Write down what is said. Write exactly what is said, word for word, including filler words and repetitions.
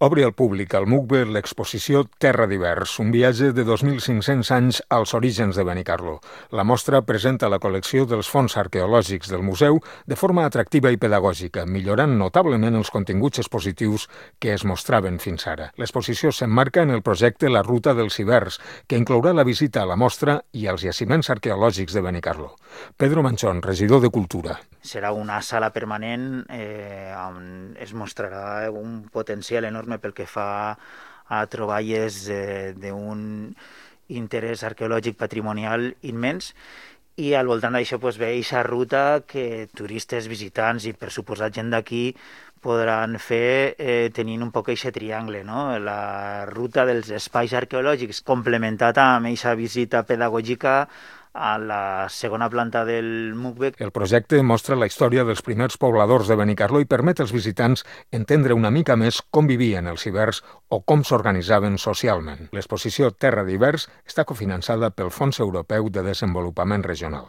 Obre al públic al MUCBE l'exposició Terra d'Hivers, un viatge de dos mil cinc-cents anys als orígens de Benicarló. La mostra presenta la col·lecció dels fons arqueològics del museu de forma atractiva i pedagògica, millorant notablement els continguts expositius que es mostraven fins ara. L'exposició s'emmarca en el projecte La Ruta dels Hivers, que inclourà la visita a la mostra i als jaciments arqueològics de Benicarló. Pedro Manchón, regidor de Cultura. Serà una sala permanent eh, on es mostrarà un potencial enorme pel que fa a troballes eh, d'un interès arqueològic patrimonial immens, i al voltant d'això pues, ve aquesta ruta que turistes, visitants i per suposat gent d'aquí podran fer eh, tenint un poc aquest triangle, no? La ruta dels espais arqueològics complementat amb aquesta visita pedagògica a la segona planta del MUCBE. El projecte mostra la història dels primers pobladors de Benicarló i permet als visitants entendre una mica més com vivien els hivers o com s'organitzaven socialment. L'exposició Terra d'Hivers està cofinançada pel Fons Europeu de Desenvolupament Regional.